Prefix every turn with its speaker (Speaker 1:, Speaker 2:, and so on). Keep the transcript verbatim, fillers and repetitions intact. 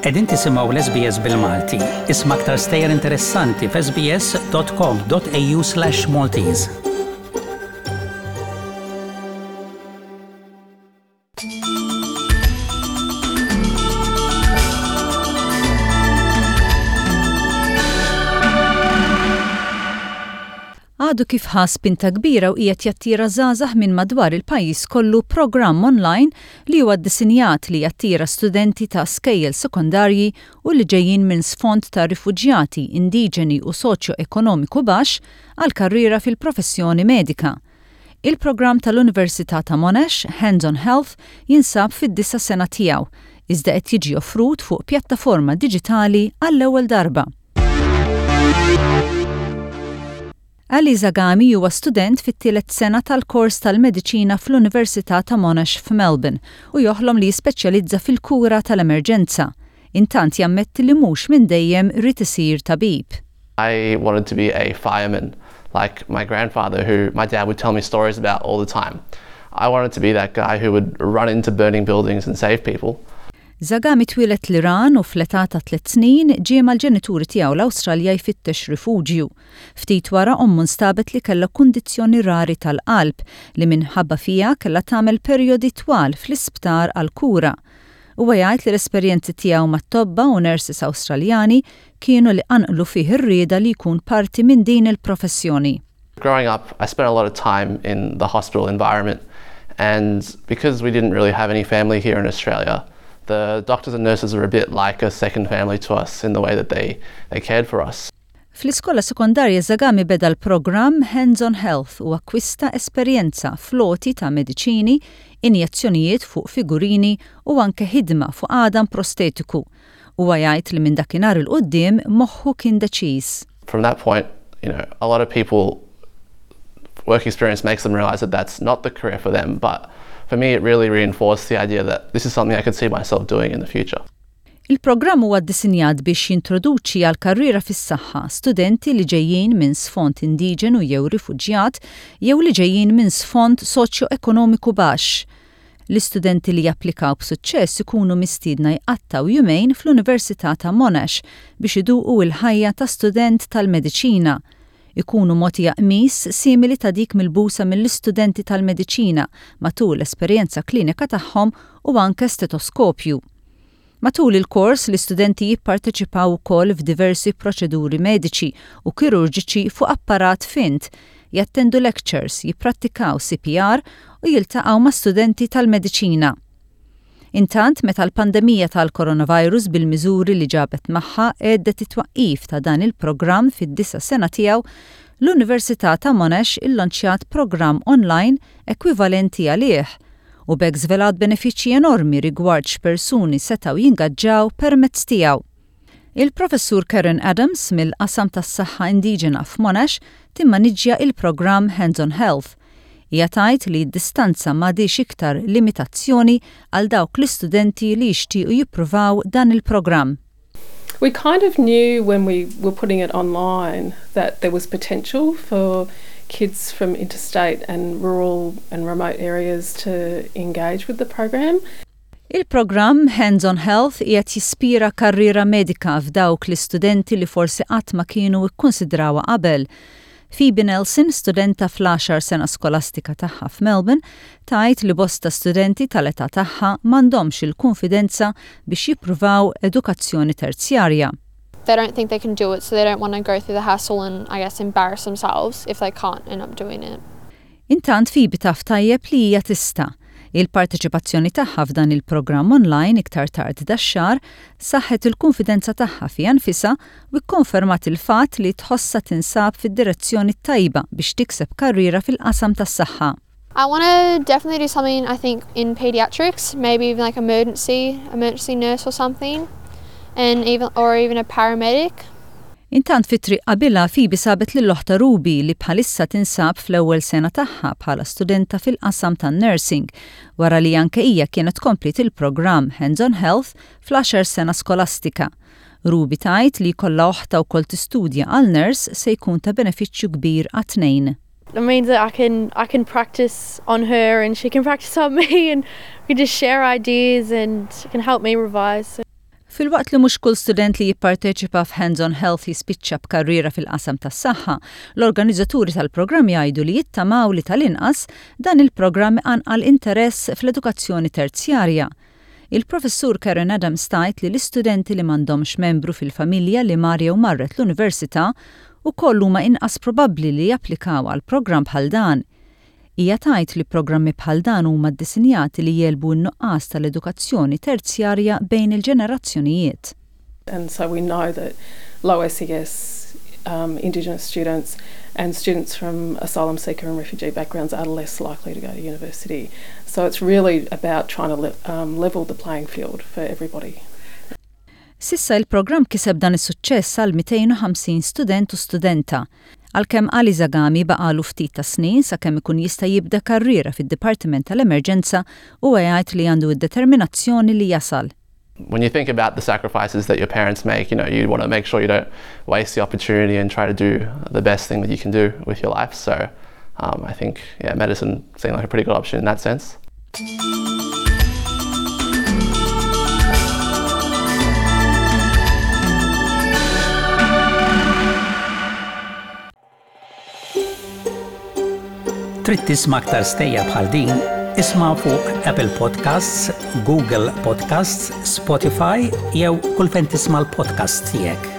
Speaker 1: Qegħdin tisimgħu l-S B S bil-Malti. Isma' aktar stejjer interessanti f'S B S dot com dot A U slash Maltese.
Speaker 2: Għadu kif ħa spinta kbira u qiegħed jattira żgħażagħ minn madwar il-pajjiż kollu programm online li huwa ddisinjat li jattira studenti ta' skejjel sekondarji u li ġejjin minn sfond ta' rifuġjati, indiġeni u soċjo-ekonomiku baxx għal karriera fil-professjoni medika. Il-programm tal-Università ta' Monash, Hands on Health, jinsab fid-disa' sena tiegħu, iżda qed jiġi offrut fuq pjattaforma diġitali għall-ewwel darba. Ali Zagami huwa student fit-tielet sena tal-kors tal-mediċina fl-Università ta' Monash f'Melbourne u joħlom li jispeċjalizza fil-kura tal-emerġenza. Intant jammetti li mhux minn dejjem ried isir tabib.
Speaker 3: I wanted to be a fireman, like my grandfather, who my dad would tell me stories about all the time. I wanted to be that guy who would run into burning buildings and save people.
Speaker 2: Zagami twieled l-Iran u fl-età ta' tliet snin ġie mal-ġenituri tiegħu l-Awstralja jfittex rifuġju. Ftit wara ommu nstabet li kellha kundizzjoni rari tal-qalb li minħabba fiha kellha tagħmel perjodi twal fl-isptar għal kura. Huwa jgħid li l-esperjenzi tiegħu mat-tobba u nurses Awstraljani kienu li qanqlu fih ir-rieda li jkun parti minn din il-professjoni.
Speaker 3: Growing up, I spent a lot of time in the hospital environment, and because we didn't really have any family here in Australia, the doctors and nurses were a bit like a second family to us in the way that they, they cared for us.
Speaker 2: Fl-iskola sekondarja Zagami beda l-programm Hands on Health u akkwista esperjenza fl-għoti ta' mediċini, injezzjonijiet fuq figurini u anke ħidma fuq għadam prostetiku. Huwa jgħid li minn dakinhar 'il quddiem moħħu kien deċiż.
Speaker 3: From that point, you know, a lot of people, work experience makes them realize that that's not the career for them, but for me it really reinforced the idea that this is something I could see myself doing in the future.
Speaker 2: Il-programm huwa ddisinjat biex jintroduċi għal karriera fis-saħħa studenti li ġejjin minn sfond indiġenu jew rifuġjat jew li ġejjin minn sfond soċjo-ekonomiku baxx. L-istudenti li japplikaw b'suċċess ikunu mistiedna jqattaw jumejn fl-Università ta' Monash biex iduqu il-ħajja ta' student tal-mediċina. Ikunu mogħtija qmis simili ta' dik milbusa mill-istudenti tal-mediċina matul l-esperjenza klinika tagħhom u anke stetoskopju. Matul il-kors l-istudenti jipparteċipaw ukoll f'diversi proċeduri mediċi u kirurġiċi fuq apparat fint, jattendu lectures, jipprattikaw C P R u jiltaqgħu ma' studenti tal-mediċina. Intant, meta l-pandemija tal-coronavirus bil-miżuri li ġabet magħha għeddet it-twaqqif ta' dan il-programm fid-disa' sena tiegħu, l-Università ta' Monash illonċjat programm online ekwivalenti għalih u b'hekk żvelat benefiċċji enormi rigward x'persuni setgħu jingaġġaw permezz tiegħu. Il-professur Karen Adams mill-qasam tas-saħħa indiġena f'Monash timmaniġġja il-programm Hands on Health. Hija tgħid li d-distanza m'għadix iktar limitazzjoni għal dawk l-istudenti li jixtiequ jippruvaw dan il-programm.
Speaker 4: We kind of knew when we were putting it online that there was potential for kids from interstate and rural and remote areas to engage with the program.
Speaker 2: Il-programm Hands on Health qiegħed jispira karriera medika f'dawk l-istudenti li forsi qatt ma kienu kkonsidrawha qabel. Phoebe Nelson, studenta fl-għaxar sena skolastika tagħha f'Melbourne, tgħid li bosta studenti tal-età tagħha m'għandhomx il-konfidenza biex jippruvaw edukazzjoni terzjarja.
Speaker 5: They don't think they can do it, so they don't want to go through the hassle and, I guess, embarrass themselves if they can't end up doing it.
Speaker 2: Intant Phoebe taf tajjeb li hija tista'. Il-parteċipazzjoni tagħha f'dan il-programm online iktar tard dax-xahar saħħet il-konfidenza tagħha fiha nfisha u kkonfermat il-fatt li tħossha tinsab fid-direzzjoni tajba biex tikseb karriera fil-qasam tas-saħħa.
Speaker 5: I want to definitely do something, I think, in pediatrics, maybe even like emergency, emergency nurse or something, and even or even a paramedic.
Speaker 2: Intant fit-triq qabilha Phoebe sabet lil oħtha Ruby li bħalissa tinsab fl-ewwel sena tagħha bħala studenta fil-qasam tan-nursing wara li anke hija kienet komplet il-programm Hands on Health fl-għaxar sena skolastika. Ruby tgħid li jkollha oħtha wkoll tistudja għal nurse se jkun ta' benefiċċju kbir għat-tnejn.
Speaker 6: It means that I can I can practice on her and she can practice on me and we can just share ideas and she can help me revise.
Speaker 2: Filwaqt li mhux kull student li jipparteċipa f'Hands on Health jispiċċa b'karriera fil-qasam tas-saħħa, l-organizzaturi tal-programm jgħidu li jittamaw li tal-inqas dan il-programm iqanqal interess fl-edukazzjoni terzjarja. Il-professur Karen Adams tgħid li l-istudenti li m'għandhomx membru fil-familja li mar jew marret l-università ukoll huma inqas probabbli li japplikaw għal programm bħal dan. Hija tgħid li programmi bħal dan huma ddisinjati li jegħlbu n-nuqqas tal-edukazzjoni terzjarja bejn il-ġenerazzjonijiet.
Speaker 4: And so we know that low S E S um, Indigenous students and students from asylum seeker and refugee backgrounds are less likely to go to university. So it's really about trying to le um, level the playing field for everybody.
Speaker 2: S'issa il-programm kiseb dan is-suċċess għal mitejn u ħamsin student u studenta. Għalkemm Ali Zagami baqalu ftit ta' snin sakemm ikun jista' jibda karriera fid-Dipartiment tal-Emerġenza, u jgħid li għandu id-determinazzjoni li jasal.
Speaker 3: When you think about the sacrifices that your parents make, you know, you want to make sure you don't waste the opportunity and try to do the best thing that you can do with your life. So um, I think, yeah, medicine seemed like a pretty good option in that sense.
Speaker 1: Trid tisma' aktar stejjer bħal din? Isma' fuq Apple Podcasts, Google Podcasts, Spotify jew kull fejn tisma' l-podcasts tiegħek.